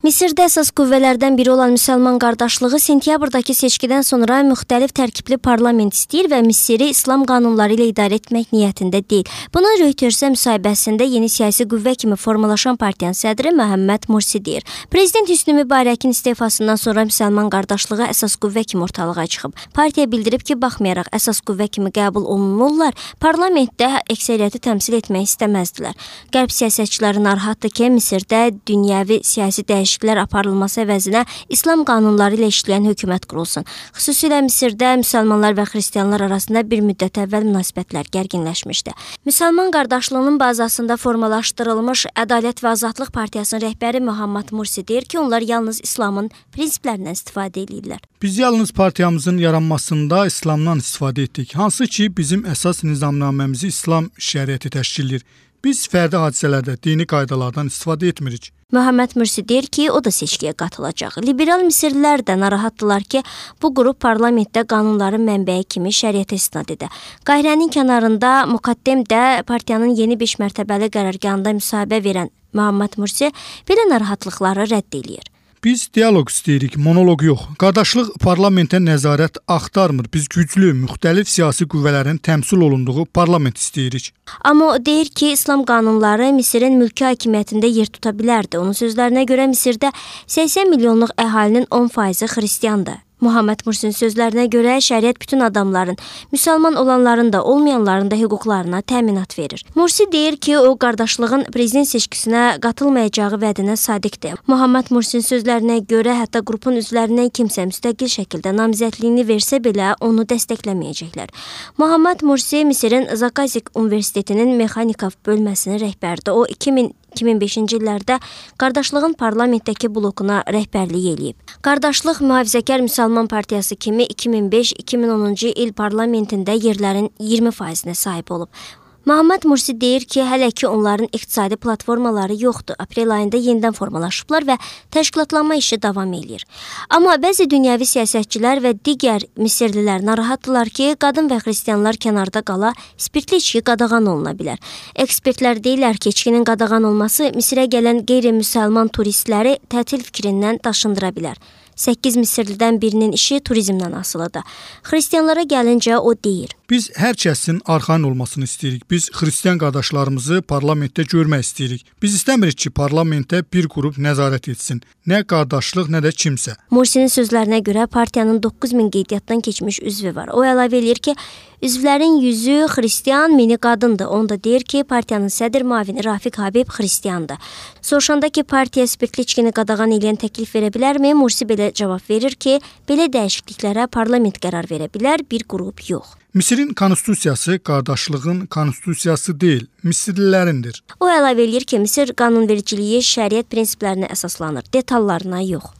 Misirdə əsas qüvvələrdən biri olan Müsəlman qardaşlığı sentyabrdakı seçkidən sonra müxtəlif tərkibli parlament istəyir və Misiri İslam qanunları ilə idarə etmək niyyətində deyil. Buna Reuters-ə müsahibəsində yeni siyasi qüvvə kimi formalaşan partiyanın sədri Məhəmməd Mursi deyir. Prezident Hüsnü Mübarəkin istefasından sonra Müsəlman qardaşlığı əsas qüvvə kimi ortalığa çıxıb. Partiya bildirib ki, baxmayaraq əsas qüvvə kimi qəbul olunurlar, parlamentdə əksəriyyəti təmsil etmək istəməzdilər. Qərb siyasətçiləri narahatdır ki, Misirdə dünyəvi siyasi dəyişikliklər aparılması əvəzinə İslam qanunları ilə işləyən hökumət qurulsun. Xüsusilə Misirdə müsəlmanlar və xristianlar arasında bir müddət əvvəl münasibətlər gərginləşmişdi. Müsəlman qardaşlığının bazasında formalaşdırılmış Ədalət və Azadlıq Partiyasının rəhbəri Məhəmməd Mursi deyir ki, onlar yalnız İslamın prinsiplərindən istifadə edirlər. Biz yalnız partiyamızın yaranmasında İslamdan istifadə etdik, hansı ki bizim əsas nizamnaməmizi İslam şəriəti təşkil edir. Biz fərdi hadisələrdə dini qaydalardan istifadə etmirik. Məhəmməd Mursi deyir ki, o da seçkiyə qatılacaq. Liberal Misirlilər də narahatdılar ki, bu qrup parlamentdə qanunların mənbəyi kimi şəriətə istinad edir. Qayrənin kənarında Muqaddemdə partiyanın yeni 5 mərtəbəli qərargahında müsahibə verən Məhəmməd Mursi belə narahatlıqları rədd edir. Biz dialoq istəyirik, monoloq yox. Qardaşlıq parlamentə nəzarət axtarmır. Biz güclü, müxtəlif siyasi qüvvələrin təmsil olunduğu parlament istəyirik. Amma o deyir ki, İslam qanunları Misirin mülki hakimiyyətində yer tuta bilərdi. Onun sözlərinə görə Misirdə 80 milyonluq əhalinin 10% xristiandır. Məhəmməd Mursinin sözlərinə görə şəriət bütün adamların, müsəlman olanların da, olmayanların da hüquqlarına təminat verir. Mursi deyir ki, o qardaşlığın prezident seçkisinə qatılmayacağı vədinə sadiqdir. Məhəmməd Mursinin sözlərinə görə hətta qrupun üzvlərindən kimsə müstəqil şəkildə namizədliyini versə belə onu dəstəkləməyəcəklər. Məhəmməd Mursi Misirin Zaqazik Universitetinin mexanika bölməsinin rəhbəridir. O 2005-ci illərdə qardaşlığın parlamentdəki blokuna rəhbərlik eləyib. Qardaşlıq Mühafizəkar Müsəlman Partiyası kimi 2005-2010-cu il parlamentində yerlərin 20%-nə sahib olub. Məhəmməd Mursi deyir ki, hələ ki onların iqtisadi platformaları yoxdur. Aprel ayında yenidən formalaşıblar və təşkilatlanma işi davam edir. Amma bəzi dünyəvi siyasətçilər və digər Misirlilər narahatdılar ki, qadın və xristianlar kənarda qala, spirtli içki qadağan oluna bilər. Ekspertlər deyirlər ki, içkinin qadağan olması Misirə gələn qeyri-müsəlman turistləri tətil fikrindən daşındıra bilər. 8 Misirlidən birinin işi turizmdən asılıdır. Xristianlara gəlincə o deyir. Biz hər kəsin arxayın olmasını istəyirik. Biz xristian qardaşlarımızı parlamentdə görmək istəyirik. Biz istəmirik ki, parlamentdə bir qrup nəzarət etsin. Nə qardaşlıq, nə də kimsə. Mursinin sözlərinə görə partiyanın 9000 qeydiyyatdan keçmiş üzvü var. O əlavə edir ki, üzvlərin 100-ü xristian, 1000-i qadındır. Onda deyir ki, partiyanın sədr müavini Rafiq Habib xristiandır. Soruşanda ki, partiya spirtli içkini qadağan edən təklif verə bilərmi? Mursi belə cavab verir ki, belə dəyişikliklərə parlament qərar verə bilər, bir qrup yox. Misirin konstitusiyası qardaşlığın konstitusiyası deyil, Misirlilərindir. O əlavə edir ki, Misir qanunvericiliyi şəriət prinsiplərinə əsaslanır, detallarına yox.